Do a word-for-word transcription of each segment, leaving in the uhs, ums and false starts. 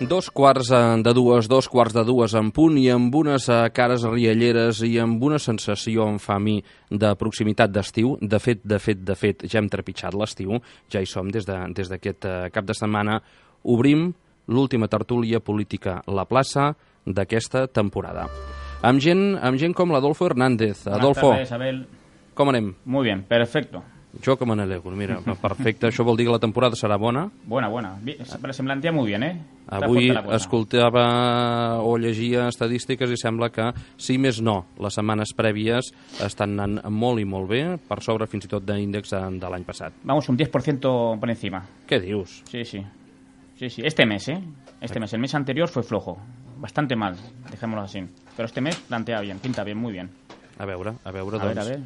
Dos quarts de dues, dos quarts de dues en punt i amb unes cares rialleres i amb una sensació, em fa a mi, de proximitat d'estiu. De fet, de fet, de fet, ja hem trepitjat l'estiu, ja hi som des de, des d'aquest cap de setmana. Obrim l'última tertúlia política La Plaça d'aquesta temporada. Amb gent, amb gent com l'Adolfo Hernández. Adolfo, Buenas tardes, Abel. Com anem? Muy bien, perfecto. Jo que me n'alegro, mira, perfecte. Això vol dir que la temporada serà bona? Buena, buena. Pero se plantea muy bien, ¿eh? Está Avui fuerte la cosa. escoltava o llegia estadístiques i sembla que, si més no, les setmanes prèvies estan anant molt i molt bé, per sobre fins i tot d'índex de l'any passat. Vamos un diez por ciento por encima. Què dius? Sí, sí. Sí, sí. Este mes, ¿eh? Este mes. El mes anterior fue flojo. Bastante mal, dejémoslo así. Pero este mes plantea bien, pinta bien, muy bien. A veure, a veure, A doncs... ver, a ver.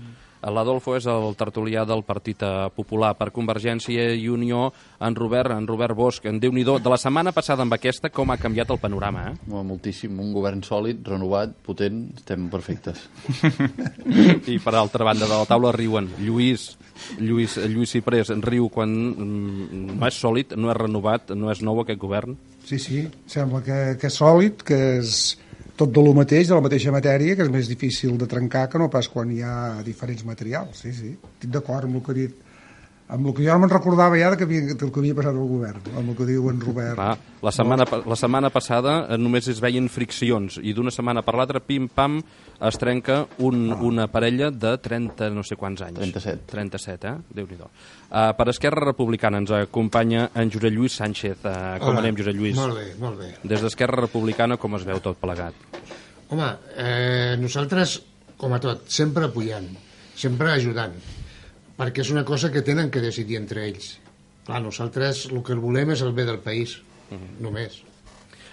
L'Adolfo és el tertulià del Partit Popular per Convergència i Unió. En Robert, en Robert Bosch, en Déu-n'hi-do. De la setmana passada amb aquesta, com ha canviat el panorama, eh? Moltíssim. Un govern sòlid, renovat, potent, estem perfectes. I per altra banda de la taula riuen. Lluís, Lluís, Lluís Ciprés riu quan mm, no és sòlid, no és renovat, no és nou aquest govern. Sí, sí, sembla que, que és sòlid, que és tot de lo mateix, de la mateixa matèria, que és més difícil de trencar que no pas quan hi ha diferents materials. Sí, sí, estic d'acord amb el que ha dit, amb el que jo no me'n recordava ja que havia, del que havia passat al govern, amb el que diu en Robert. Clar, la setmana, la setmana passada només es veien friccions i d'una setmana per l'altra, pim-pam, es trenca un, ah. una parella de trenta no sé quants anys. trenta-set. trenta-set, eh? Déu-n'hi-do. Uh, per Esquerra Republicana ens acompanya en Josep Lluís Sánchez. Uh, com Hola. anem, Josep Lluís? Molt bé, molt bé. Des d'Esquerra Republicana, com es veu tot plegat? Home, eh, nosaltres, com a tot, sempre apoyant, sempre ajudant, perquè és una cosa que tenen que decidir entre ells. Clar, nosaltres el que volem és el bé del país, uh-huh. només.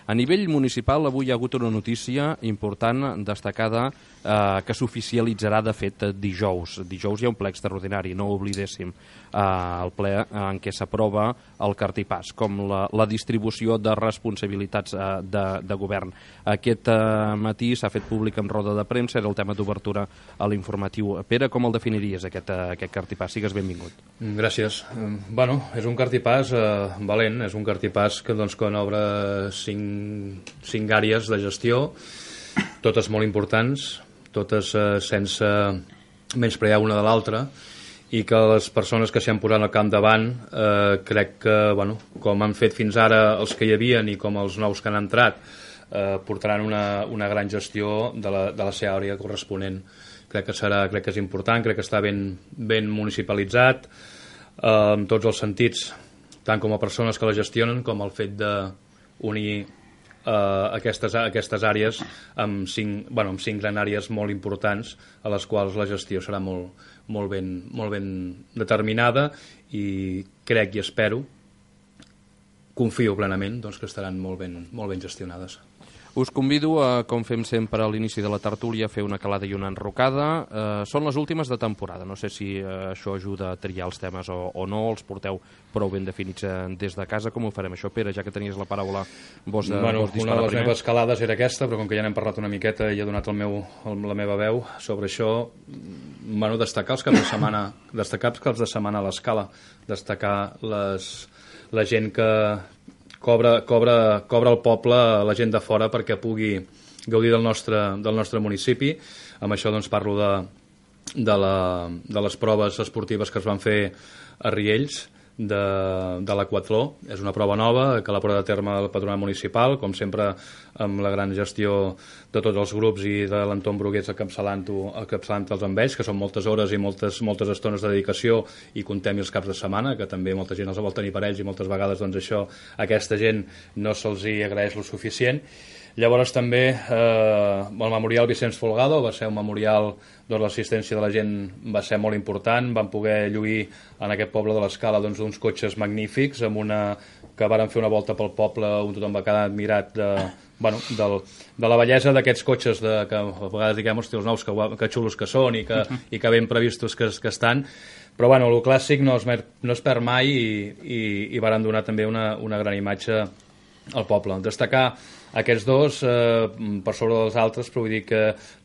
A nivell municipal, avui hi ha hagut una notícia important, destacada, eh, que s'oficialitzarà, de fet, dijous. Dijous hi ha un ple extraordinari, no ho oblidéssim, eh, el ple en què s'aprova el cartipàs, com la, la distribució de responsabilitats eh, de, de govern. Aquest eh, matí s'ha fet públic en roda de premsa, era el tema d'obertura a l'informatiu. Pere, com el definiries, aquest, eh, aquest cartipàs? Sigues benvingut. Gràcies. Bueno, és un cartipàs eh, valent, és un cartipàs que, doncs, que obre cinc cinc àrees de gestió, totes molt importants, totes eh, sense menysprear una de l'altra, i que les persones que s'hi han posat al capdavant eh, crec que, bueno, com han fet fins ara els que hi havien i com els nous que han entrat, eh, portaran una, una gran gestió de la, de la seva àrea corresponent. Crec que serà, crec que és important, crec que està ben, ben municipalitzat eh, en tots els sentits, tant com a persones que la gestionen com el fet d'unir Uh, aquestes, aquestes àrees amb cinc, bueno, amb cinc gran àrees molt importants a les quals la gestió serà molt, molt, ben, molt ben determinada, i crec i espero, confio plenament, doncs, que estaran molt ben, molt ben gestionades. Us convido a, com fem sempre a l'inici de la tertúlia, a fer una calada i una enrocada. Eh, són les últimes de temporada. No sé si eh, això ajuda a triar els temes o, o no, els porteu prou ben definits eh, des de casa. Com ho farem això, Pere, ja que tenies la paraula, vos, de, bueno, vos disparar una de les primer? meves calades era aquesta, però com que ja n'hem parlat una miqueta i he donat el meu, el, la meva veu sobre això, bueno, destacar els caps de setmana, destacar els caps de setmana a l'escala, destacar les, la gent que Cobra, cobra, cobra el poble, la gent de fora, perquè pugui gaudir del nostre, del nostre municipi. Amb això, doncs, parlo de, de, la, de les proves esportives que es van fer a Riells, de, de l'Aquatló. És una prova nova que la porta a terme el Patronat Municipal, com sempre amb la gran gestió de tots els grups i de l'Anton Brugués encapçalant-ho, encapçalant els amb ells, que són moltes hores i moltes, moltes estones de dedicació, i comptem els caps de setmana, que també molta gent els vol tenir per ells, i moltes vegades, doncs, això a aquesta gent no se'ls hi agraeix lo suficient. Llavors també eh, el Memorial Vicenç Folgado va ser un memorial, doncs l'assistència de la gent va ser molt important. Van poder lluir en aquest poble de l'Escala, doncs, uns cotxes magnífics, amb una, que varen fer una volta pel poble, on tothom va quedar admirat de, bueno, del, de la bellesa d'aquests cotxes, de, que a vegades diguem, hosti, els nous, que, que xulos que són i que, i que ben previstos que, que estan. Però bueno, el clàssic no es, no es perd mai, i, i, i varen donar també una, una gran imatge al poble. Destacar aquests dos eh, per sobre dels altres, però vull dir que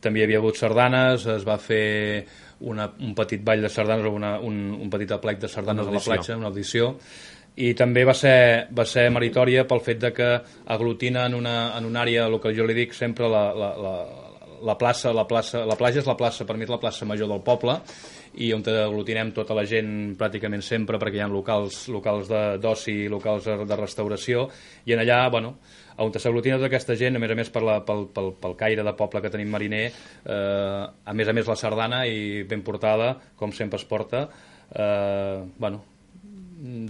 també hi havia hagut sardanes, es va fer una, un petit ball de sardanes, una, un, un petit aplec de sardanes a la platja, una audició, i també va ser, va ser meritòria pel fet de que aglutina en una, en una àrea, el que jo li dic sempre, la, la, la, la plaça, la plaça, la platja és la plaça, per mi és la plaça major del poble, i on aglutinem tota la gent pràcticament sempre, perquè hi ha locals, locals d'oci, locals de, de restauració, i en allà, bueno, on s'aglutina tota aquesta gent, a més a més per la, pel, pel, pel caire de poble que tenim mariner, eh, a més a més la sardana, i ben portada, com sempre es porta, eh, bueno,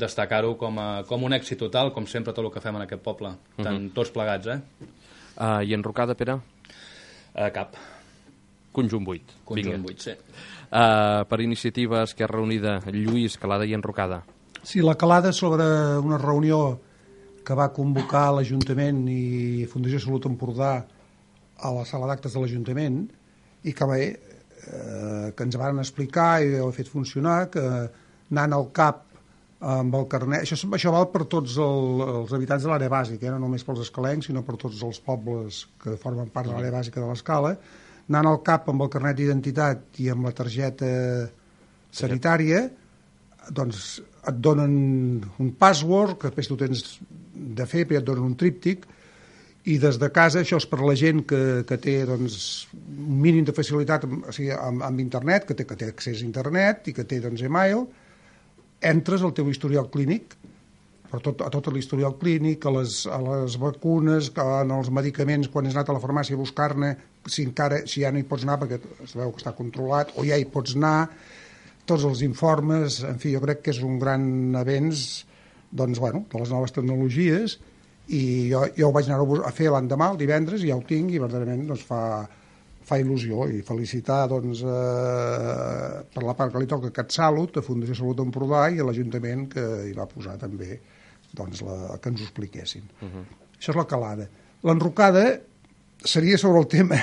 destacar-ho com, a, com un èxit total, com sempre tot el que fem en aquest poble, tant uh -huh. tots plegats, eh? Uh, I enrocada, Pere? Uh, cap. Conjunt vuit. Conjunt vuit, sí. Uh, per iniciativa Esquerra Unida, Lluís, Calada i enrocada. Sí, la calada sobre una reunió que va convocar l'Ajuntament i Fundació Salut Empordà a la sala d'actes de l'Ajuntament, i que bé, eh, que ens van explicar i ho ha fet funcionar, que anant al cap amb el carnet, això, això val per tots el, els habitants de l'àrea bàsica, eh? No només pels escalencs, sinó per tots els pobles que formen part de l'àrea bàsica de l'escala, anant al cap amb el carnet d'identitat i amb la targeta sanitària, doncs et donen un password, que després tu tens de fer, però et donen un tríptic, i des de casa, això és per la gent que, que té doncs, un mínim de facilitat o sigui, amb, amb internet, que té, que té accés a internet i que té doncs, e-mail, entres al teu historial clínic, però tot, a tot l'historial clínic, a les, a les vacunes, en els medicaments, quan has anat a la farmàcia a buscar-ne, si, encara, si ja no hi pots anar perquè es veu que està controlat, o ja hi pots anar, tots els informes, en fi, jo crec que és un gran avenç doncs, bueno, de les noves tecnologies, i jo, jo ho vaig anar a fer l'endemà, el divendres, i ja ho tinc, i verdaderament doncs, fa, fa il·lusió, i felicitar doncs, eh, per la part que li toca a CatSalut, a Fundació Salut Empordà, i a l'Ajuntament que hi va posar també doncs, la, que ens ho expliquessin. Uh-huh. Això és la calada. L'enrocada seria sobre el tema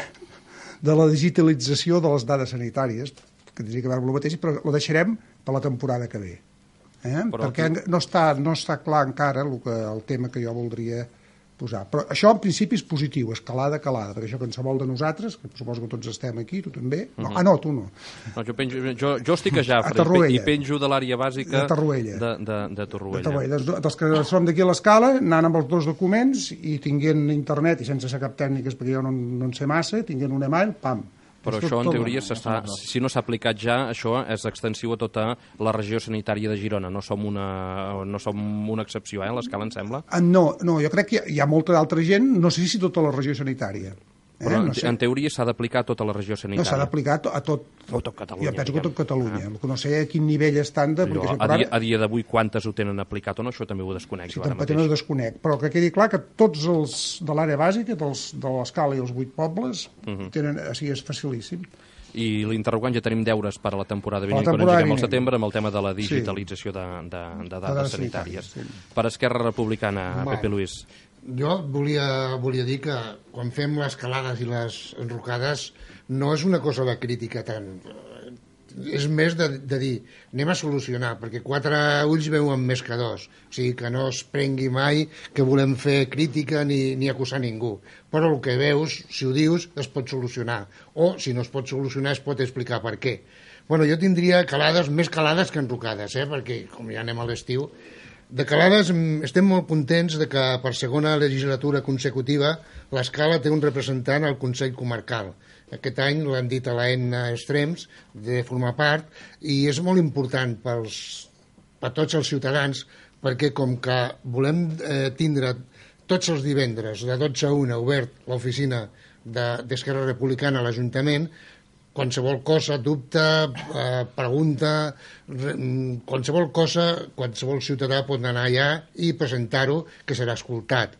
de la digitalització de les dades sanitàries, que tindria que veure amb el mateix, però ho deixarem per la temporada que ve. Eh? Perquè aquí no està, no està clar encara el, que, el tema que jo voldria posar. Però això en principi és positiu, escalada, calada, perquè això qualsevol de nosaltres, que suposo que tots estem aquí, tu també, no, uh -huh. ah no, tu no. No, jo, penjo, jo, jo estic a Jafre a i penjo de l'àrea bàsica de Torroella. De, de, de Torroella. De Torroella. Dels, dels que som d'aquí a l'escala, anant amb els dos documents i tinguent internet, i sense ser cap tècniques, perquè jo no, no en sé massa, tinguent un email, pam. Però això, en teoria, s'està, si no s'ha aplicat ja, això és extensiu a tota la regió sanitària de Girona. No som una, no som una excepció, eh, a l'escala, em sembla? No, no, jo crec que hi ha, hi ha molta d'altra gent, no sé si tota la regió sanitària. Eh? Però, no sé. En teoria, s'ha d'aplicar a tota la regió sanitària. No, s'ha d'aplicar a tot, a tot Catalunya. Jo penso que a tot Catalunya. Ah. No sé a quin nivell estan de... Allò, a dia, a dia d'avui, quantes ho tenen aplicat o no, això també ho desconec. Sí, també ho desconec. Però que quedi clar que tots els de l'àrea bàsica, dels, de l'escala i els vuit pobles, uh -huh. tenen, o sigui, és facilíssim. I l'interrogant ja tenim deures per a la temporada vinent, quan engeguem al setembre, amb el tema de la digitalització sí. de, de, de dades de sanitàries. Sí. Per Esquerra Republicana, Va. Pepe Luis. Jo volia, volia dir que quan fem les calades i les enrocades no és una cosa de crítica tant. És més de, de dir, anem a solucionar, perquè quatre ulls veuen més que dos. O sigui, que no es prengui mai que volem fer crítica ni, ni acusar ningú. Però el que veus, si ho dius, es pot solucionar. O, si no es pot solucionar, es pot explicar per què. Bueno, jo tindria calades, més calades que enrocades, eh? Perquè, com ja anem a l'estiu, de calades estem molt contents de que per segona legislatura consecutiva l'Escala té un representant al Consell Comarcal. Aquest any l'han dit a l'A N Extrems de formar part, i és molt important pels, per tots els ciutadans, perquè com que volem eh, tindre tots els divendres de dotze a una obert l'oficina d'Esquerra de, Republicana a l'Ajuntament, qualsevol cosa, dubte, eh, pregunta, re, qualsevol cosa, qualsevol ciutadà pot anar allà i presentar-ho, que serà escoltat.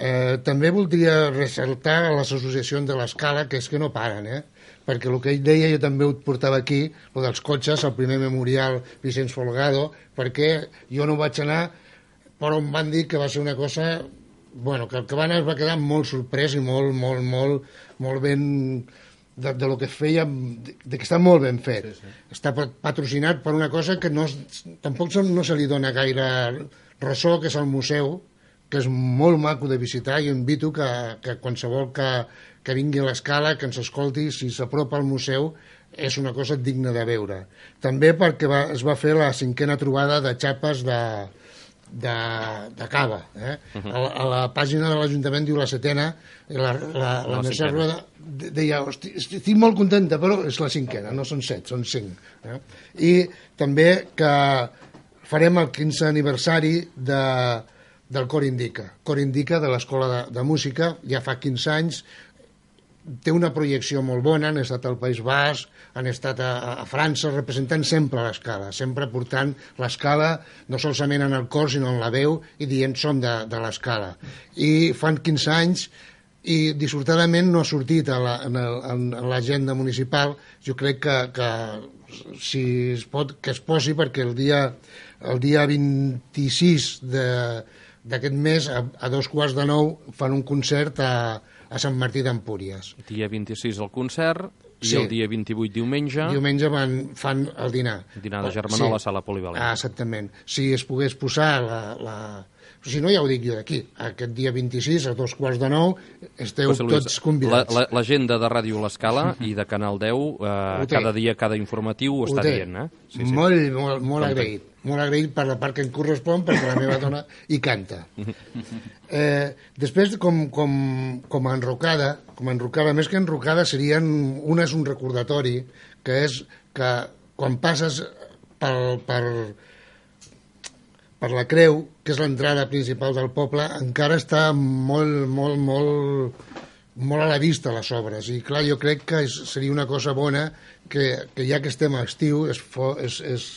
Eh, també voldria ressaltar les associacions de l'Escala, que és que no paren, eh? Perquè el que ell deia, jo també ho portava aquí, el dels cotxes, el primer memorial Vicenç Folgado, perquè jo no vaig anar, però em van dir que va ser una cosa... Bueno, que el que va anar es va quedar molt sorprès i molt, molt, molt, molt ben... De, de lo que feia, de, de que està molt ben fet. Sí, sí. Està patrocinat per una cosa que no, tampoc no se li dona gaire ressò, que és el museu, que és molt maco de visitar, i invito que, que qualsevol que, que vingui a l'Escala, que ens escolti, si s'apropa al museu, és una cosa digna de veure. També perquè va, es va fer la cinquena trobada de xapes de, de, de cava. Eh? Uh -huh. a, la, a la pàgina de l'Ajuntament diu la setena, i la, la, la, la Mercè Rueda deia, hosti, estic molt contenta, però és la cinquena, no són set, són cinc. Eh? I també que farem el quinze aniversari de, del Cor Indica. Cor Indica de l'Escola de, de Música, ja fa quinze anys, té una projecció molt bona, han estat al País Basc, han estat a, a França, representant sempre l'escala, sempre portant l'escala no solament en el cor, sinó en la veu, i dient som de, de l'escala. I fan quinze anys, i dissortadament no ha sortit a la, en, el, en l'agenda municipal. Jo crec que, que si es pot, que es posi, perquè el dia, el dia vint-i-sis d'aquest mes, a, a dos quarts de nou, fan un concert a a Sant Martí d'Empúries. Dia vint-i-sis el concert i sí. el dia vint-i-vuit diumenge... Diumenge van, fan el dinar. El dinar de germanor sí. a la sala polivalent. Ah, exactament. Si es pogués posar la... la... Si no, ja ho dic jo d'aquí. Aquest dia vint-i-sis, a dos quarts de nou, esteu José Luis, tots convidats. L'agenda la, la, de Ràdio L'Escala i de Canal deu, eh, cada dia, cada informatiu ho, ho està té. dient. Eh? Sí, sí. Molt, molt, molt agraït. Molt agraït per la part que em correspon, perquè la meva dona hi canta. Eh, després, com, com, com a enrocada, com a enrocada, més que enrocada, serien, una és un recordatori, que és que quan passes pel, per, per la Creu, que és l'entrada principal del poble, encara està molt, molt, molt, molt a la vista les obres. I clar, jo crec que és, seria una cosa bona que, que ja que estem a estiu es, es, es,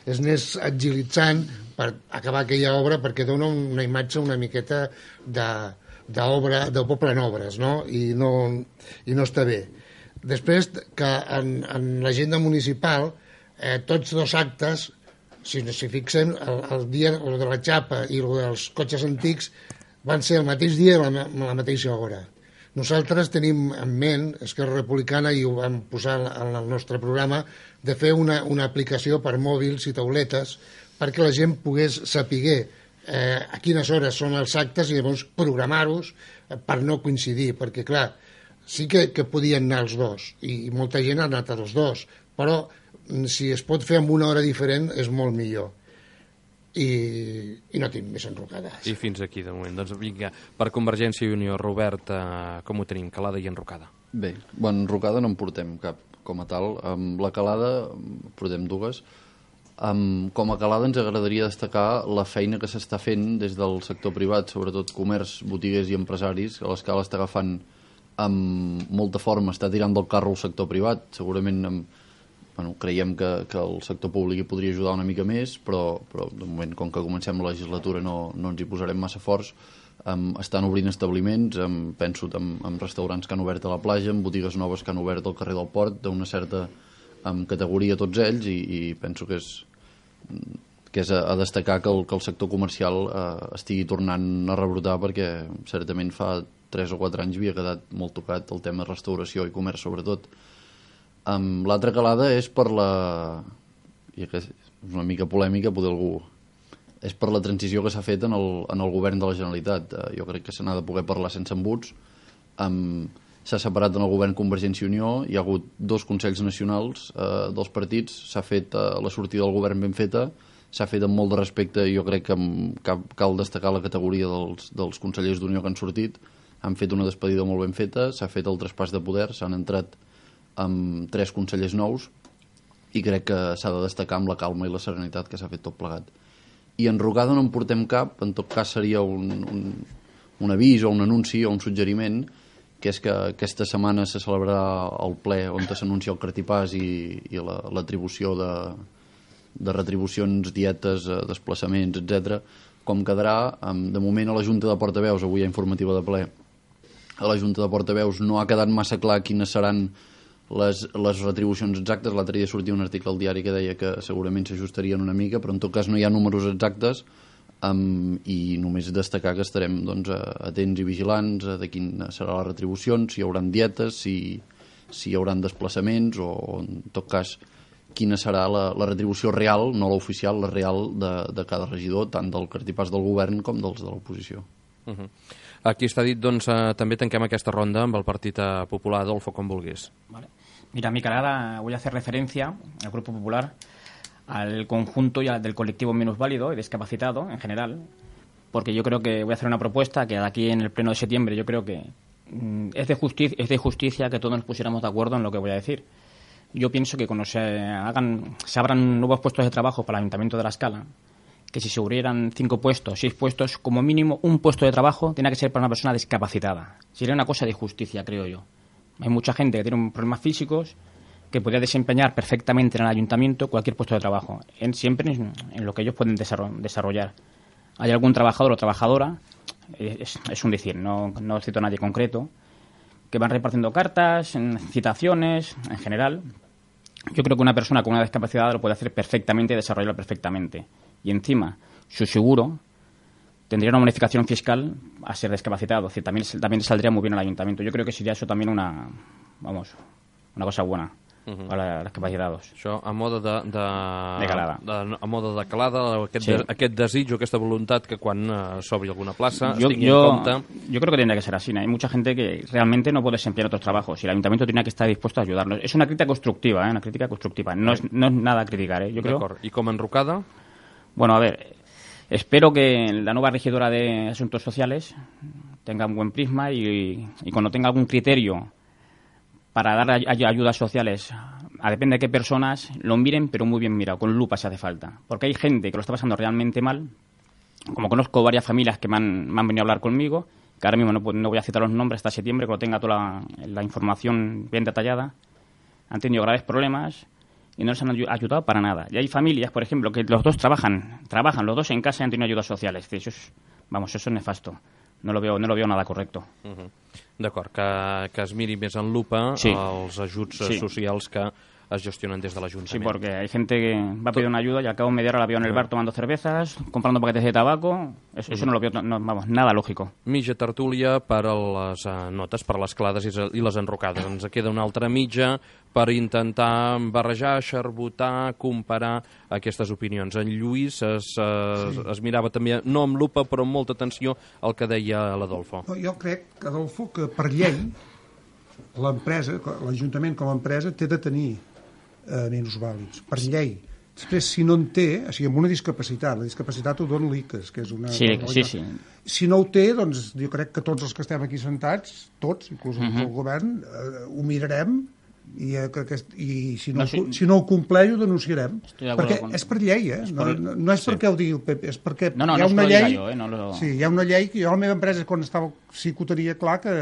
es anés agilitzant per acabar aquella obra, perquè dona una imatge una miqueta d'obra, del poble en obres, no? I no, i no està bé. Després, que en, en l'agenda municipal, eh, tots dos actes, si no s'hi fixem, el, el dia el de la xapa i el dels cotxes antics van ser el mateix dia i la, la mateixa hora. Nosaltres tenim en ment, Esquerra Republicana, i ho vam posar en el nostre programa, de fer una, una aplicació per mòbils i tauletes perquè la gent pogués saber eh, a quines hores són els actes i llavors programar-los per no coincidir, perquè clar, sí que, que podien anar els dos i, i molta gent ha anat als dos, però si es pot fer amb una hora diferent és molt millor. I, i no tinc més enrocades. I fins aquí de moment. Doncs vinga, per Convergència i Unió, Robert, eh, com ho tenim, calada i enrocada? Bé, bueno, enrocada no en portem cap com a tal. Amb la calada portem dues. Um, com a calada ens agradaria destacar la feina que s'està fent des del sector privat, sobretot comerç, botiguers i empresaris, que l'Escala està agafant amb molta forma, està tirant del carro el sector privat, segurament amb Bueno, creiem que, que el sector públic hi podria ajudar una mica més, però, però de moment, com que comencem la legislatura, no, no ens hi posarem massa forts. Um, estan obrint establiments, um, penso en, en restaurants que han obert a la platja, en botigues noves que han obert al carrer del Port, d'una certa um, categoria tots ells, i, i penso que és, que és a, a destacar que el, que el sector comercial uh, estigui tornant a rebrotar, perquè certament fa tres o quatre anys havia quedat molt tocat el tema restauració i comerç, sobretot. Um, L'altra calada és per la... i que és una mica polèmica, poder algú... és per la transició que s'ha fet en el, en el govern de la Generalitat. Uh, jo crec que se n'ha de poder parlar sense embuts. Um, s'ha separat en el govern Convergència i Unió, hi ha hagut dos consells nacionals uh, dels partits, s'ha fet uh, la sortida del govern ben feta, s'ha fet amb molt de respecte, i jo crec que cal, cal destacar la categoria dels, dels consellers d'Unió que han sortit, han fet una despedida molt ben feta, s'ha fet el traspàs de poder, s'han entrat amb tres consellers nous, i crec que s'ha de destacar amb la calma i la serenitat que s'ha fet tot plegat. I enrocada no en portem cap, en tot cas seria un, un, un avís o un anunci o un suggeriment, que és que aquesta setmana se celebrarà el ple on s'anuncia el cartipàs i, i l'atribució la, de, de retribucions, dietes, desplaçaments, etcètera. Com quedarà, de moment a la Junta de Portaveus, avui hi ha informativa de ple, a la Junta de Portaveus no ha quedat massa clar quines seran Les, les retribucions exactes. L'altre dia sortia un article al diari que deia que segurament s'ajustarien una mica, però en tot cas no hi ha números exactes, um, i només destacar que estarem doncs, atents i vigilants de quina serà la retribució, si hi haurà dietes, si, si hi haurà desplaçaments, o, o en tot cas quina serà la, la retribució real, no l'oficial, la real de, de cada regidor, tant del cartipàs del govern com dels de l'oposició. Uh-huh. Aquí està dit, doncs, eh, també tanquem aquesta ronda amb el Partit Popular. Adolfo, com vulguis. Vale. Mira, mi calada, voy a hacer referencia al Grupo Popular al conjunto y al del colectivo minusválido y discapacitado en general, porque yo creo que voy a hacer una propuesta que de aquí en el pleno de septiembre yo creo que mm, es de justicia, es de justicia que todos nos pusiéramos de acuerdo en lo que voy a decir. Yo pienso que cuando se hagan, se abran nuevos puestos de trabajo para el Ayuntamiento de La Escala, que si se abrieran cinco puestos, seis puestos, como mínimo un puesto de trabajo tiene que ser para una persona discapacitada. Sería una cosa de justicia, creo yo. Hay mucha gente que tiene problemas físicos que podría desempeñar perfectamente en el ayuntamiento cualquier puesto de trabajo, en, siempre en, en lo que ellos pueden desarrollar. Hay algún trabajador o trabajadora, es, es un decir, no, no cito a nadie concreto, que van repartiendo cartas, en citaciones, en general. Yo creo que una persona con una discapacidad lo puede hacer perfectamente y desarrollarlo perfectamente. Y encima, su seguro tendría una bonificación fiscal a ser discapacitado. Es decir, también, también saldría muy bien al ayuntamiento. Yo creo que sería eso también una, vamos, una cosa buena uh-huh. para los discapacitados. Això a moda de... de, de calada. De, a moda de calada, aquest, sí. de, aquest desig, aquesta voluntat que quan uh, s'obri alguna plaça yo, es tingui yo, en compte... Yo creo que tendría que ser así. ¿no? Hay mucha gente que realmente no puede desempeñar otros trabajos y el ayuntamiento tiene que estar dispuesto a ayudarlos. Es una crítica constructiva, ¿eh? Una crítica constructiva. No es, no es nada a criticar, ¿eh? Yo creo... ¿Y como enrucada? Bueno, a ver... Espero que la nueva regidora de Asuntos Sociales tenga un buen prisma y, y cuando tenga algún criterio para dar ay ayudas sociales, a depende de qué personas, lo miren, pero muy bien mirado, con lupa si hace falta. Porque hay gente que lo está pasando realmente mal, como conozco varias familias que me han, me han venido a hablar conmigo, que ahora mismo no, no voy a citar los nombres hasta septiembre, cuando tenga toda la, la información bien detallada, han tenido graves problemas y no les han ayudado para nada. Y hay familias, por ejemplo, que los dos trabajan, trabajan los dos en casa y han tenido ayudas sociales. Eso es, vamos, eso es nefasto. No lo veo, no lo veo nada correcto. Uh-huh. D'acord, que, que es miri més en lupa sí. els ajuts sí. socials que es gestionen des de l'Ajuntament. Sí, porque hay gente que va a pedir una ayuda y al cabo de media hora la veo en el bar tomando cervezas, comprando paquetes de tabaco. Eso, eso no lo veo, no, vamos, nada lógico. Mitja tertúlia per a les uh, notes, per a les clades i, i les enrocades. Ens queda una altra mitja per intentar barrejar, xarbotar, comparar aquestes opinions. En Lluís es, es, sí. es mirava també, no amb lupa, però amb molta atenció al que deia l'Adolfo. No, jo crec, Adolfo, que per llei l'empresa, l'Ajuntament com a empresa, té de tenir eh, minusvàlids, per llei. Després, si no en té, o sigui, amb una discapacitat, la discapacitat ho dona l'I C A S, que és una... Sí, sí, sí. Si no ho té, doncs jo crec que tots els que estem aquí sentats, tots, inclús uh-huh. el govern, eh, ho mirarem i, eh, que, que, i si, no, no, si... si no ho compleix ho denunciarem. Perquè con... és per llei, eh? No, no, no és sí. perquè ho digui el P P, és perquè no, no, hi ha no una llei... Jo, eh? no lo... Sí, hi ha una llei que jo a la meva empresa, quan estava, sí que ho tenia clar, que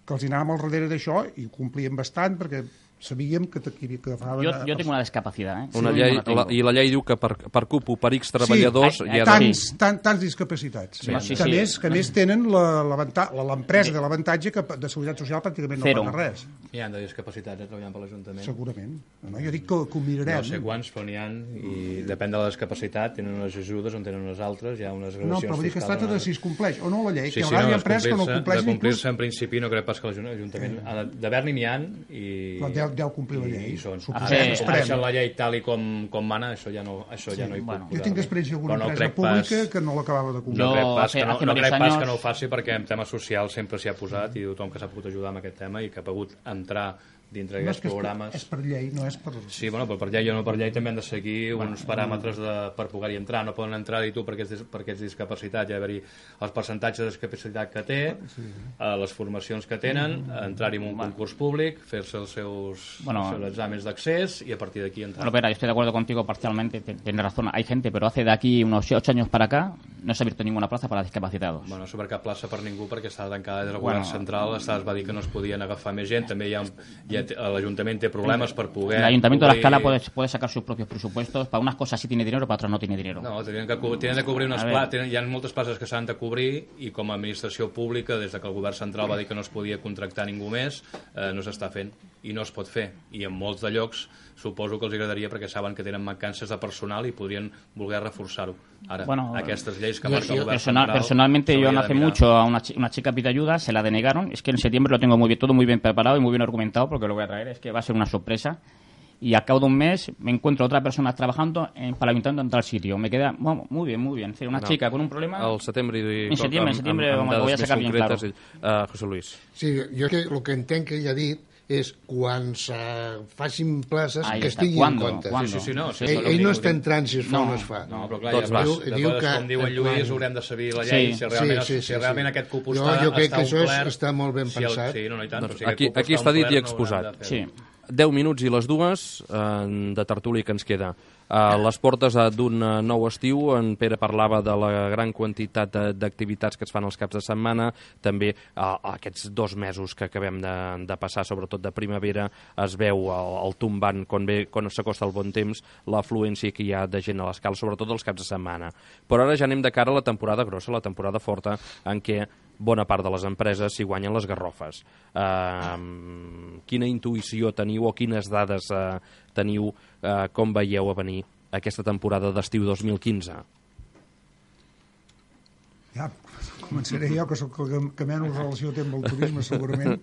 que els anàvem al darrere d'això i ho complíem bastant perquè sabíem que, que, que agafaven... Jo, jo tinc una discapacitat, eh? Una sí, llei, la, I la llei diu que per, per cupo, per X treballadors... Sí, hi ha tants, de... tants, tants discapacitats. Sí, sí, que, sí. Més, que més tenen l'empresa de l'avantatge que de seguretat social pràcticament no Zero. paga res. Hi ha de discapacitats eh, treballant per l'Ajuntament. Segurament. No, jo dic que, que ho mirarem. No sé quants, però n'hi ha, i depèn de la discapacitat, tenen unes ajudes, on tenen unes altres, hi ha unes gradacions No, però vull dir que es tracta de si es compleix o no la llei, sí, que a sí, vegades no, hi ha empreses que no compleixen... De complir-se, en principi, no crec pas que l'Ajuntament... Eh. D'haver-n'hi n'hi ha, i... Però deu, deu complir la llei. I són. Suposem, si deixen la llei tal i com, com mana, això ja no, això sí, ja no hi bueno. puc... Jo tinc experiència en alguna no empresa pública pas, que no l'acabava de complir. No crec pas, hace, que, no, hace no crec pas años... que no ho faci perquè en temes socials sempre s'hi ha posat i tothom que s'ha pogut ajudar amb aquest tema i que ha pogut entrar dintre d'aquests no, programes... És per llei, no és per... Sí, bueno, però per llei o no per llei també han de seguir bueno, uns paràmetres de, per poder-hi entrar. No poden entrar-hi tu perquè ets, perquè ets discapacitat, hi ha d'haver-hi els percentatges de discapacitat que té, sí. eh, les formacions que tenen, entrar-hi en un concurs públic, fer-se els seus, bueno, els seus exàmens d'accés y a partir d'aquí entrar. Bueno, pero yo estoy de acuerdo contigo parcialmente, tienes razón. Hay gente, pero hace de aquí unos ocho años para acá no s'ha abierto ninguna plaza para discapacitados. Bueno, no s'ha obert cap plaça per ningú perquè estava tancada des del bueno, govern central, es va dir que no es podien agafar més gent, també hi ha, hi ha l'Ajuntament té problemes per poder... El Ayuntamiento cobrir... de La Escala puede, puede sacar sus propios presupuestos, para unas cosas sí tiene dinero, para otras no tiene dinero. No, tienen, que, tienen de cobrir unes places, hi ha moltes places que s'han de cobrir i com a administració pública, des de que el govern central va dir que no es podia contractar ningú més, eh, no s'està fent i no es pot fer. I en molts de llocs suposo que els agradaria perquè saben que tenen mancances de personal i podrien voler reforçar-ho. Ara, bueno, aquestes lleis que marca el govern personal, central... Personalmente yo no hace mucho a una, una chica pide ayuda, se la denegaron, es que en septiembre lo tengo muy bien, todo muy bien preparado y muy bien argumentado porque lo voy a traer, es que va a ser una sorpresa. Y al cabo de un mes me encuentro otra persona trabajando en, para el ayuntamiento en tal sitio. Me queda bueno, muy bien, muy bien. Es decir, una no, chica con un problema... Al setembre... I, en septiembre, en septiembre amb, amb, amb voy a sacar bien claro. Uh, José Luis. Sí, jo que, el que entenc que ell ha dit és quan se facin places Ahí que está. estigui ¿Cuándo? en compte. ¿Cuándo? Sí, sí, no, sí, Ell, ell no està entrant si es fa No, o no es fa. No, però clar, Tots ja vas. veus, de Diu coses que com diu en quan- Lluís, haurem de saber la llei, Sí. si realment, Sí, sí, sí, si realment sí. aquest cupó Jo- està, jo crec està que això és- omplert, està molt ben si el- pensat. Sí, no, no, i tant. Doncs Però si aquí- aquest cupó aquí està dit i omplert, no exposat. haurem de fer. Sí. deu minuts i les dues eh, de tertúlia que ens queda. A les portes eh, d'un eh, nou estiu, en Pere parlava de la gran quantitat de- d'activitats que es fan els caps de setmana, també eh, aquests dos mesos que acabem de, de passar, sobretot de primavera, es veu el, el tombant quan, ve, quan s'acosta el bon temps, l'afluència que hi ha de gent a l'escala, sobretot els caps de setmana. Però ara ja anem de cara a la temporada grossa, la temporada forta, en què bona part de les empreses s'hi guanyen les garrofes. Uh, quina intuïció teniu o quines dades uh, teniu, uh, com veieu a venir aquesta temporada d'estiu dos mil quinze? Ja, començaré jo, que sóc el que, que menys relació té amb el turisme, segurament.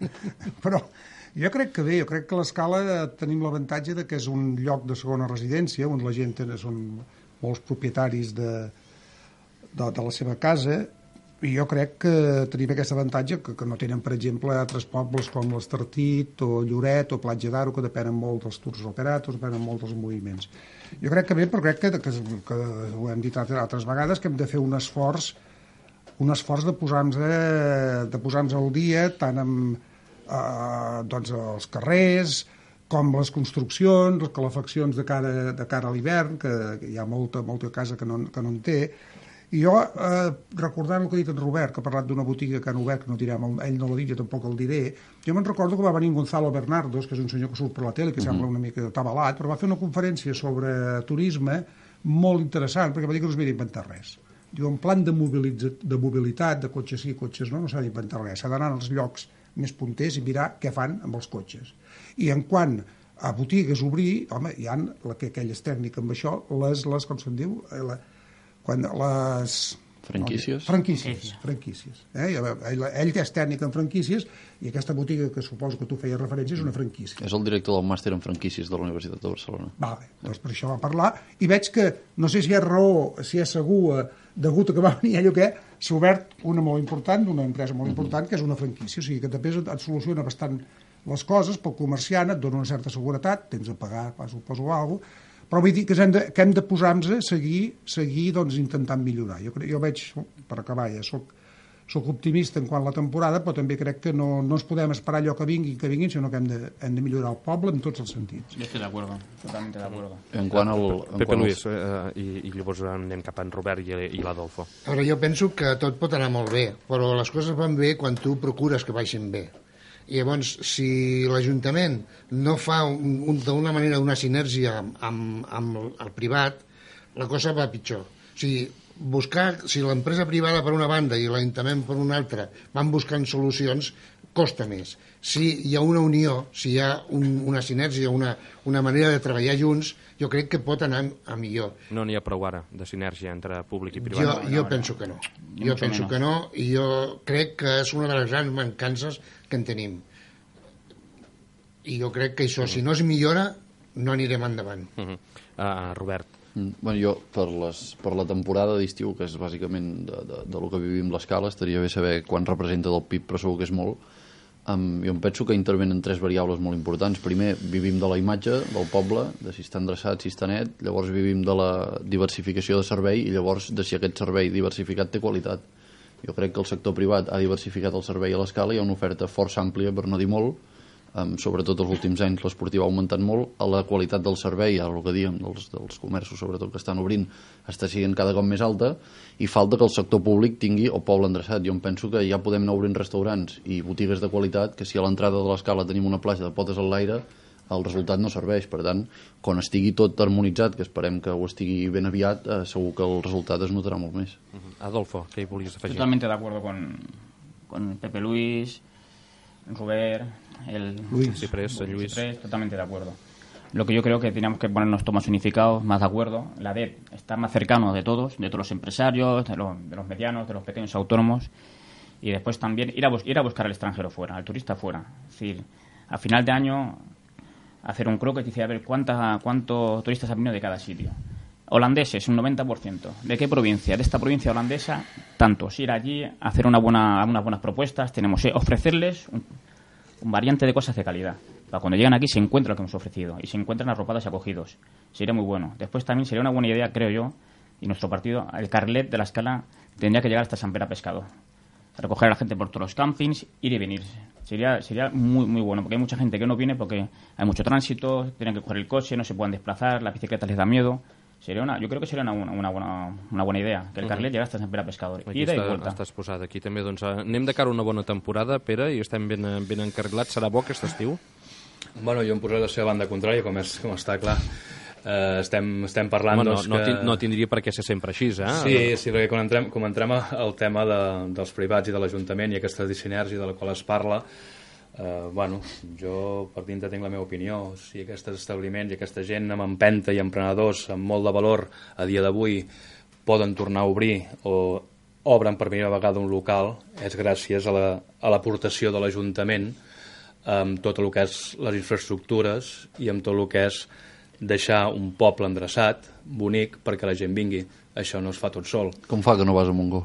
Però jo crec que bé, jo crec que a l'Escala tenim l'avantatge de que és un lloc de segona residència, on la gent té, són molts propietaris de, de, de la seva casa, i jo crec que tenim aquest avantatge que, que no tenen, per exemple, altres pobles com l'Estartit o Lloret o Platja d'Aro, que depenen molt dels tours operats, depenen molt dels moviments. Jo crec que bé, però crec que, que, que ho hem dit altres vegades, que hem de fer un esforç un esforç de posar-nos de posar-nos al dia tant amb eh, doncs els carrers com les construccions, les calefaccions de cara, de cara a l'hivern, que, que hi ha molta, molta casa que no, que no en té. I jo, eh, recordant el que ha dit en Robert, que ha parlat d'una botiga que han obert, que no direm, ell no l'ha dit, jo tampoc el diré, jo me'n recordo que va venir Gonzalo Bernardos, que és un senyor que surt per la tele, que uh -huh. sembla una mica tabalat, però va fer una conferència sobre turisme molt interessant, perquè va dir que no s'havia d'inventar res. Diu, en plan de, de mobilitat, de cotxes sí, cotxes no, no s'ha d'inventar res, s'ha d'anar als llocs més punters i mirar què fan amb els cotxes. I en quant a botigues obrir, home, hi ha la, que aquelles tècniques amb això, les, les com se'n diu, la, quan les... Franquícies? No, franquícies, franquícies. Eh? Ell, ell és tècnic en franquícies i aquesta botiga que suposo que tu feies referència és una franquícia. És el director del màster en franquícies de la Universitat de Barcelona. Vale, doncs per això va parlar i veig que, no sé si és raó, si és segur, degut a que va venir ell o què, s'ha obert una molt important, una empresa molt important, que és una franquícia, o sigui que també et soluciona bastant les coses, pel comerciant et dona una certa seguretat, tens de pagar, suposo, alguna cosa, però vull dir que hem de, que hem de posar-nos a seguir, seguir doncs, intentant millorar. Jo, jo veig, per acabar ja, soc, soc optimista en quant a la temporada, però també crec que no, no ens podem esperar allò que vingui, que vinguin, sinó que hem de, hem de millorar el poble en tots els sentits. Yo estoy de acuerdo, totalmente de acuerdo. En quant al... En Pepe quant Luis, als... eh, i, i llavors anem cap a en Robert i, i l'Adolfo. Ara, jo penso que tot pot anar molt bé, però les coses van bé quan tu procures que vagin bé. I llavors, si l'Ajuntament no fa un, un, d'una manera una sinergia amb, amb, amb el privat, la cosa va pitjor. O sigui, buscar, si l'empresa privada per una banda i l'Ajuntament per una altra van buscant solucions, costa més. Si hi ha una unió, si hi ha un, una sinergia, una, una manera de treballar junts, jo crec que pot anar a millor. No n'hi ha prou ara de sinergia entre públic i privat. Jo, no, jo no, penso no. que no. Ni Jo mucho penso menos. que no, i jo crec que és una de les grans mancances que en tenim. I jo crec que això, si no es millora, no anirem endavant. Uh -huh. uh, Robert. Mm, Bueno, jo, per, les, per la temporada d'estiu, que és bàsicament de, de, de lo que vivim l'escala, estaria bé saber quan representa del P I B, però segur que és molt. Um, jo em penso que intervenen tres variables molt importants. Primer, vivim de la imatge del poble, de si està endreçat, si està net. Llavors vivim de la diversificació de servei i llavors de si aquest servei diversificat té qualitat. Jo crec que el sector privat ha diversificat el servei a l'escala, hi ha una oferta força àmplia, per no dir molt, um, sobretot els últims anys l'esportiu ha augmentat molt, a la qualitat del servei, ara el que diem, dels, dels comerços sobretot que estan obrint, està sent cada cop més alta, i falta que el sector públic tingui el poble endreçat. Jo em penso que ja podem anar obrint restaurants i botigues de qualitat, que si a l'entrada de l'escala tenim una plaça de potes al l'aire, el resultat no serveix. Per tant, quan estigui tot harmonitzat, que esperem que ho estigui ben aviat, eh, segur que el resultat es notarà molt més. Uh -huh. Adolfo, què hi volies afegir? Totalmente de acuerdo con, con Pepe Luis, Robert, el Luis. Ciprés, el Luis. Ciprés, totalmente de acuerdo. Lo que yo creo que teníamos que ponernos todos más unificados, más de acuerdo. La D E P estar más cercano de todos, de todos los empresarios, de los, de los medianos, de los pequeños autónomos. Y después también ir a, bus ir a buscar al extranjero fuera, al turista fuera. Es decir, a final de año hacer un croquis y decir, a ver, ¿cuánta, ¿cuántos turistas han venido de cada sitio? Holandeses, un noventa por ciento. ¿De qué provincia? De esta provincia holandesa, tantos. Ir allí, hacer una buena, unas buenas propuestas, tenemos que ofrecerles un, un variante de cosas de calidad. Para cuando llegan aquí se encuentra lo que hemos ofrecido y se encuentran arropados y acogidos. Sería muy bueno. Después también sería una buena idea, creo yo, y nuestro partido, el carlet de la escala tendría que llegar hasta San Pere Pescado. Recoger a la gente por todos los campings, ir y venir. Sería sería muy muy bueno, porque hay mucha gente que no viene porque hay mucho tránsito, tienen que coger el coche, no se pueden desplazar, la bicicleta les da miedo. Sería una, yo creo que sería una, una, buena, una buena idea, que el carlet llegui hasta Sant Pere Pescador. Aquí Ida està, i volta. estàs posat. Aquí també doncs, anem de cara a una bona temporada, Pere, i estem ben, ben encarrilats. Serà bo aquest estiu? Bueno, jo em posaré la seva banda contrària, com, és, com està clar. Uh, estem, estem parlant... Home, no, doncs, no, que... no tindria per què ser sempre així, eh? Sí, sí, perquè quan entrem, quan entrem al tema de, dels privats i de l'Ajuntament i aquesta sinergia de la qual es parla, eh, bueno, jo per dintre tinc la meva opinió. Si aquests establiments i aquesta gent amb empenta i emprenedors amb molt de valor a dia d'avui poden tornar a obrir o obren per primera vegada un local, és gràcies a l'aportació la, a de l'Ajuntament amb tot el que és les infraestructures i amb tot el que és deixar un poble endreçat, bonic, perquè la gent vingui. Això no es fa tot sol. Com fa que no vas a Montgó?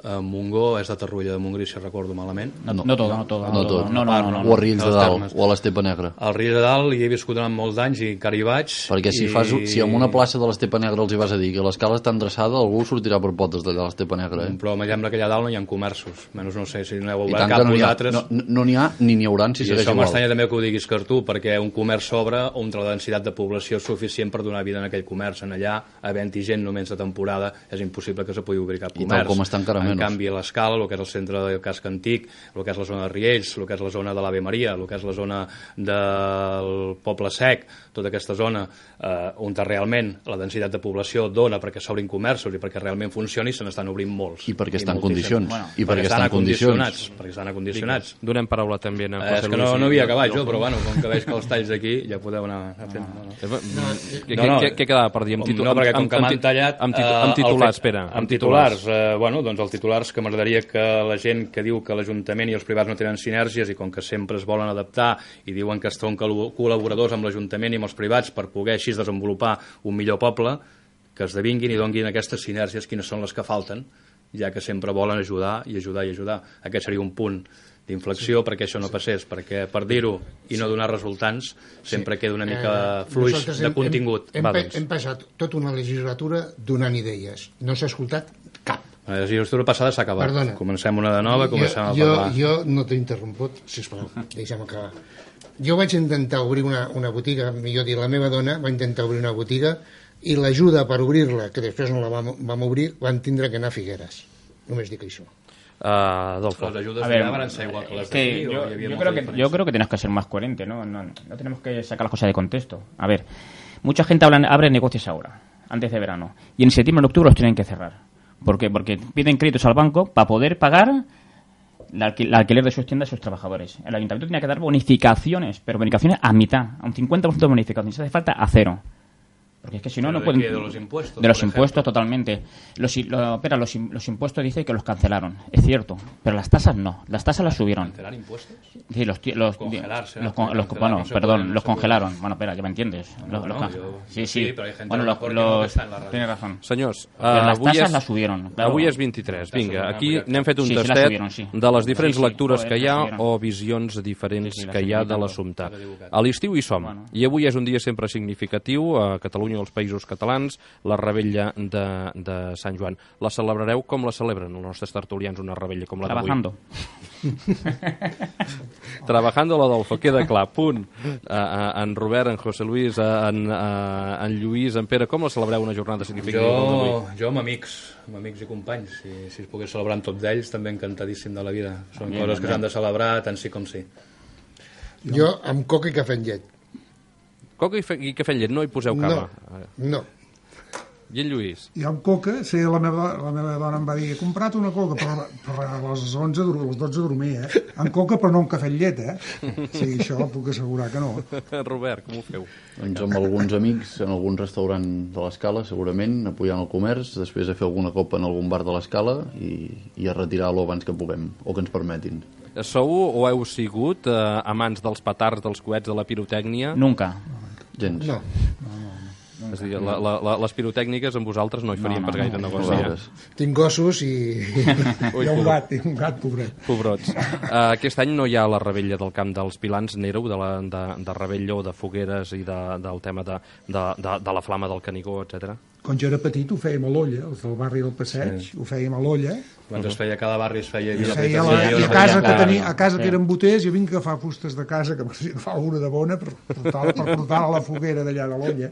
A Montgó és de Tarrulla de Montgrí, si recordo malament. No, no, no tot, no tot. No tot. No, no, no, no, O a Riells de Dalt, termes. o a l'Estepa Negra. Al Riells de Dalt hi he viscut durant molts anys i encara hi vaig. Perquè si, i... fas, si en una plaça de l'Estepa Negra els hi vas a dir que l'escala està endreçada, algú sortirà per potes d'allà a l'Estepa Negra. Eh? Però em sembla que allà dalt no hi ha comerços. Menys no sé si n'heu I obert tant cap que no n'hi ha, vosaltres. no, no n'hi ha ni n'hi haurà si I segueix això igual. m'estranya també que ho diguis, Cartú, perquè un comerç s'obre on la densitat de població és suficient per donar vida en aquell comerç. En allà, havent-hi gent només de temporada, és impossible que se pugui obrir cap I comerç. tal com està encara en menys. canvi, a l'escala, el que és el centre del casc antic, el que és la zona de Riells, el que és la zona de l'Ave Maria, el que és la zona del Poble Sec, tota aquesta zona eh, on realment la densitat de població dona perquè s'obrin comerços i perquè realment funcioni, se n'estan obrint molts. I perquè estan en moltíssims. condicions. Bueno, I perquè estan en condicions. Perquè estan acondicionats. Donem paraula també a Eh, José és que Luis. no, i- no havia acabat jo, però bueno, com que veig que els talls aquí ja podeu anar fent. No, no. Què, No, no. què, què quedava per dir? Amb Com- titu- no, perquè com amb- que amb m'han tit- tallat... Amb, titu eh, amb titulars, el fet- espera. Amb titulars, eh, bueno, doncs els titulars que m'agradaria que la gent que diu que l'Ajuntament i els privats no tenen sinergies i com que sempre es volen adaptar i diuen que són col·laboradors amb l'Ajuntament i amb els privats per poder així desenvolupar un millor poble, que esdevinguin i donguin aquestes sinergies quines són les que falten, ja que sempre volen ajudar i ajudar i ajudar. Aquest seria un punt d'inflexió sí, perquè això no passés, perquè per dir-ho i no donar resultants sempre sí. queda una mica Eh, fluix nosaltres de hem- contingut. Hem, Va, hem, doncs. hem passat tota una legislatura donant idees. No s'ha escoltat cap. La legislatura passada s'ha acabat. Perdona. Comencem una de nova, comencem a jo, parlar. Jo no t'he interromput, sisplau, deixa'm acabar. Jo vaig intentar obrir una, una botiga, millor dir, la meva dona va intentar obrir una botiga i l'ajuda per obrir-la, que després no la vam, vam obrir, van tindre que anar a Figueres. Només dic això. Uh, Adolfo. Les ajudes A ver, allà van ser igual que les es que d'aquí, o yo, hi havia yo molta creo que, diferència? yo creo que tenemos que ser más coherentes, ¿no? No, no tenemos que sacar las cosas de contexto. A ver, mucha gente habla, abre negocios ahora, antes de verano, y en septiembre o en octubre los tienen que cerrar. ¿Por qué? Porque piden créditos al banco para poder pagar el alquil alquiler de sus tiendas a sus trabajadores. El ayuntamiento tiene que dar bonificaciones, pero bonificaciones a mitad, a un cincuenta por ciento de bonificaciones. Si hace falta, a cero. Porque es que si no, ¿Pero no de pueden... qué? ¿De los impuestos, De los por impuestos, ejemplo? totalmente. Los, lo, espera, los, los impuestos dice que los cancelaron. Es cierto. Pero las tasas no. Las tasas las subieron. ¿Cancelar impuestos? Sí, los, ti- los, Congelarse, los, ¿no? con- los- Congelar, bueno, no se perdón, pueden, no los se pueden. congelaron. Bueno, espera, ya me entiendes. Los, No, los no, can- yo- sí, sí. sí, pero hay gente bueno, a lo los, mejor que no los- está en la radio. tienes razón. Senyors, uh, Però les avui, tasses és, les subieron, claro. avui és vint-i-tres. Vinga, Tasses, aquí no, n'hem fet un Sí, sí, les tastet subieron, sí. de les diferents Sí, sí, lectures joder, que hi ha les subieron. o visions diferents Sí, sí, les que hi ha de subieron. l'assumpte. Està equivocat. A l'estiu hi som, Bueno. i avui és un dia sempre significatiu a Catalunya i als països catalans, la rebella de, de Sant Joan. La celebrareu com la celebren els nostres tertulians, una rebella com la d'avui? Trabajando. Trabajando l'Adolfo, queda clar, punt. Uh, uh, en Robert, en José Luis, uh, en, uh, en Lluís, en Pere, com la celebreu una jornada significativa com Jo, d'avui? jo amb amics, amb amics i companys. Si, si es pogués celebrar amb tots ells, també encantadíssim de la vida. Són Bien, coses que bien. s'han de celebrar tant sí com sí. Jo amb coca i cafè amb llet. Coca i, fe, i cafè amb llet, no hi poseu cava. No, no. I en Lluís? I amb coca, sí, la meva, la meva dona em va dir he comprat una coca per, per a les onze, a les dotze dormir, eh? Amb coca però no amb cafè amb llet, eh? Sí, això puc assegurar que no. Robert, com ho feu? Doncs amb alguns amics en algun restaurant de l'Escala, segurament, apoyant el comerç, després a fer alguna copa en algun bar de l'Escala i, i a retirar-lo abans que puguem, o que ens permetin. Sou o heu sigut eh, amants dels petards, dels coets, de la pirotècnia? Nunca. Gens. No. No, És a dir, la, la, la, les pirotècniques amb vosaltres no hi farien No, no, pas gaire no, negoci. no. Eh? Tinc gossos i... Ui, Hi ha un pobret. gat, hi ha un gat, pobret. Pobrots. Uh, aquest any no hi ha la rebella del Camp dels Pilans, n'éreu, de, la, de, de rebella o de fogueres i de, del tema de, de, de, de la flama del Canigó, etcètera. Quan jo era petit ho fèiem a l'Olla, els del barri del Passeig, sí. ho fèiem a l'Olla, Abans es feia, cada barri es feia... i Vila feia Petita, la, feia i a una casa feina. que tenia, a casa Sí. que eren boters, jo vinc a agafar fustes de casa, que m'hauria agafar alguna de bona per portar-la per portar a la foguera d'allà de l'Olla.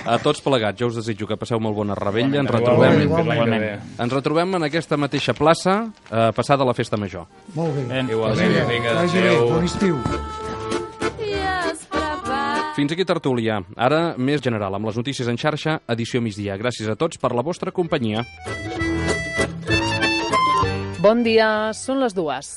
A tots plegats, jo us desitjo que passeu molt bona rebella. Ens Igualment, retrobem, igualment. fins l'any que ve. ens retrobem en aquesta mateixa plaça, eh, passada la festa major. Molt bé. Ben, Igualment, Vagi bé, vinga, vagi bé, adéu. bon estiu. Fins aquí Tertúlia. Ara, més general, amb les notícies en xarxa, edició migdia. Gràcies a tots per la vostra companyia. Bon dia, són les dues.